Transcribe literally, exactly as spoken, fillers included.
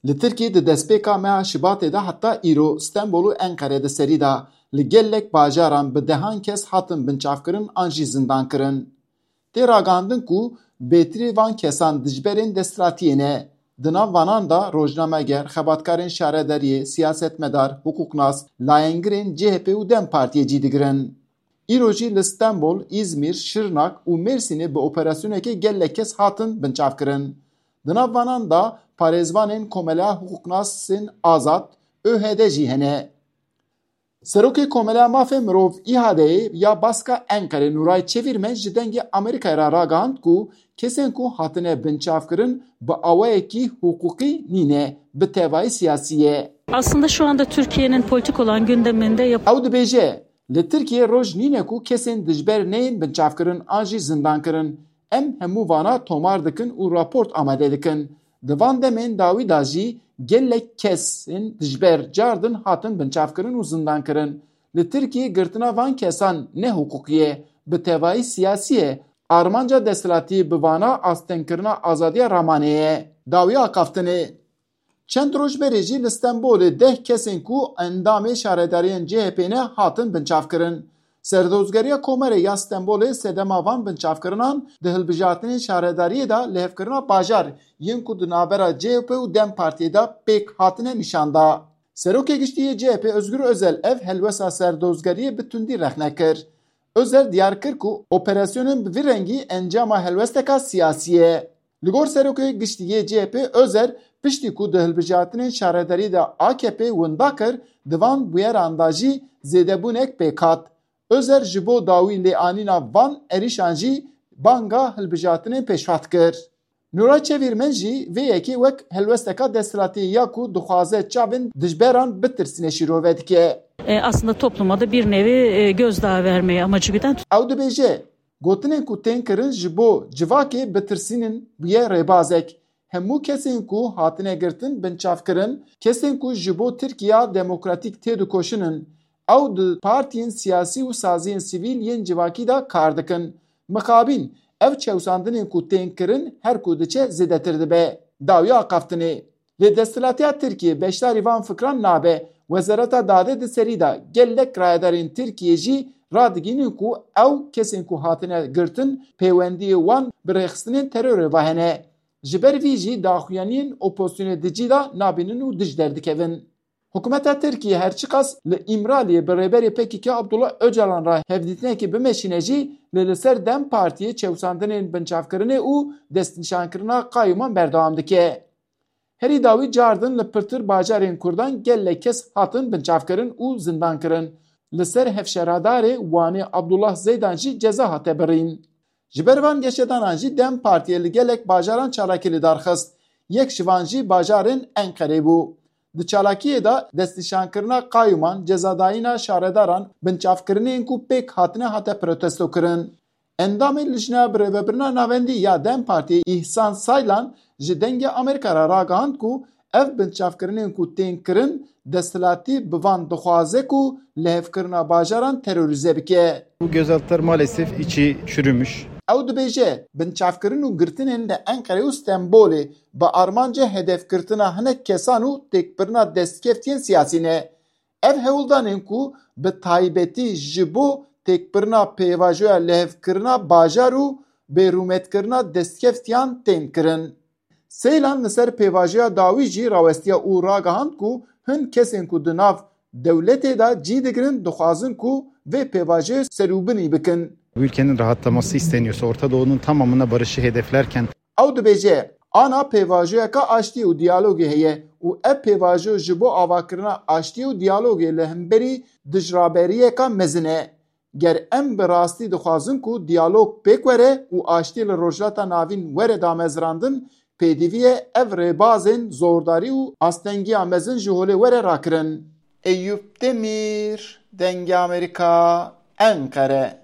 Li Tirkiyê di destpêka meha Şibatê de heta îro Stenbol û Enqere di serî de li gelek bajaran bi dehan kes hatin binçavkirin an jî zindankirin. Tê ragihandin ku bêtirî van kesan dijberên desthilatiyê ne. Di nav vanan de rojnameger, xebatkarên şaredariyê, siyasetmedar, hiqûqnas, layengirên C H P û DEM Partiyê cî digirin. Îro jî li Stenbol, Îzmîr, Şirnak û Mêrsînê bi operasyonekê gelek kes hatin binçavkirin. Di nav vanan de parêzvanên Komeleya Hiqûqnasên Azad, ÖHD, jî hene. Serokê Komeleya Mafê Mirov, İHA'yê, ya Baska Enqerê Nuray Çevirmen ji Dengê Amerîkayê re ragihand ku kesên ku hatine binçavkirin bi awayekî hiqûqî nîne, bi tevayî siyasî ye. Aslında şu anda Türkiye'nin politik olan gündeminde yap- Ew dibêje, Li Tirkiyê roj nîne ku kesên dijber neyên binçavkirin an jî zindankirin. Em hemû vana tomar dikin û raport amade dikin. Di van demên dawî de jî gelek kesên dijber cardin hatin binçavkirin û zindankirin. Li Tirkiyê girtina van kesan ne hiqûqî ye, bi tevayî siyasî ye. Armanca desthilatî bi vana astengkirina azadiya ramanê ye. Dawî axaftinê. Çend roj berê jî li Stenbolê deh kesên ku endamê şaredariyên C H P ne hatin binçavkirin. Serdozgeriya Komerê ya Stenbolê sedema van binçavkirinan di hilbijartinên şaredariyê de lihevkirina bajar yên ku di navbera C H P û DEM Partiyê de pêk hatine nîşan da. Serokê Giştî yê C H P Özgür Özel ev helwesta serdozgeriyê bi tundî rexne kir. Özel diyar kir ku operasyonên bi vî rengî encama helwesteka siyasî ye. Li gor Serokê Giştî yê C H P Özel, piştî ku di hilbijartinên şaredarî de A K P winda kir, di van bûyeran de jî zêdebûnek pêk hat. Özel ji bo dawî lêanîna van êrîşan jî banga hilbijartinên pêşhat kir. Nûra Çevîrmen jî vê yekê wek helwesteka desthilatî ya ku dixwaze çavên dijberan bitirsîne şîrove dike. E, aslında topluma da bir nevi e, gözdağı vermeye amacı güden. Ew dibêje, gotinên ku tên kirin ji bo civakê bitirsînin bûye rêbazek. Hemû kesên ku hatine girtin binçavkirin, kesên ku ji bo Tirkiya demokratîk têdikoşin in. Ew di partiyên siyasî û saziyên sivîl yên civakî de kar dikin. Mixabîn, ev çewsandinên ku tên kirin her ku diçe zêdetir dibe. Dawiya axaftinê. Lê desthilatiya Tirkiyê beşdarî van fikran nabe. Wezareta Dadê di serî de gelek rayedarên Tirkiyê jî radigihînin ku ew kesên ku hatine girtin pêwendiyê wan bi rêxistinên terorê ve hene. Ji ber vî jî daxuyaniyên opozisyonê di cî de nabînin û dij derdikevin. Hikûmeta Tirkiyê her çiqas li Îmraliyê bi rêberê P K K Abdullah Ocalan re hevdîtinekê bimeşîne jî, lê li ser DEM Partiyê çewsandinên binçavkirinê û destnîşankirina qayûman berdewam dike. Herî dawî cardin li pirtir bajarên Kurdan gelek kes hatin binçavkirin û zindankirin. Li ser hevşeredarê Wanê Abdullah Zeydan jî ceza hate birîn. Ji ber van geşedanan jî DEM Partiyê li gelek bajaran çalakî li dar xist. Yek ji van jî bajarên Enqerê bû. Di çalakiyê de destnîşankirina qayûman, cezadayîna şaredaran, binçavkirinên ku pêk hatine hate protestokirin. Endamê Lijneya Birêvebirina Navendî ya DEM Partiyê Îhsan Saylan ji Dengê Amerîka re ragihand ku ev binçavkirinên ku tên kirin, desthilatî bi van dixwaze ku lihevkirina bajaran terorîze bike. Bu gözaltılar maalesef içi çürümüş. Ew dibêje, binçavkirin û girtinên li Enqerê û Stenbolê bi armanca hedefgirtina hinek kesan û têkbirina destkeftiyên siyasî ne. Ev hewldanên ku bi taybetî ji bo têkbirina pêvajoya lihevkirina bajar û bêrûmetkirina destkeftiyan tên kirin. Seylan li ser pêvajoya dawî jî rawestiya û ragihand ku hin kesên ku di nav dewletê de cî digirin dixwazin ku vê pêvajoyê serûbinî bikin. Bu ülkenin rahatlaması isteniyorsa Orta Doğu'nun tamamına barışı hedeflerken Ew dibêje, ana pêvajoyeka aştiyê û diyalogê heye û ev pêvajo ji bo avakirina aştiyê û diyalogê li hemberî dijraberiyeka mezin e. Ger em bi rastî dixwazin ku diyalog pêk were û aştî li Rojhilata Navîn were damezrandin, pêdivî ye ev rêbazên zordarî û astengiya mezin ji holê were rakirin. Eyûp Demîr, Dengê Amerîka, Enqere.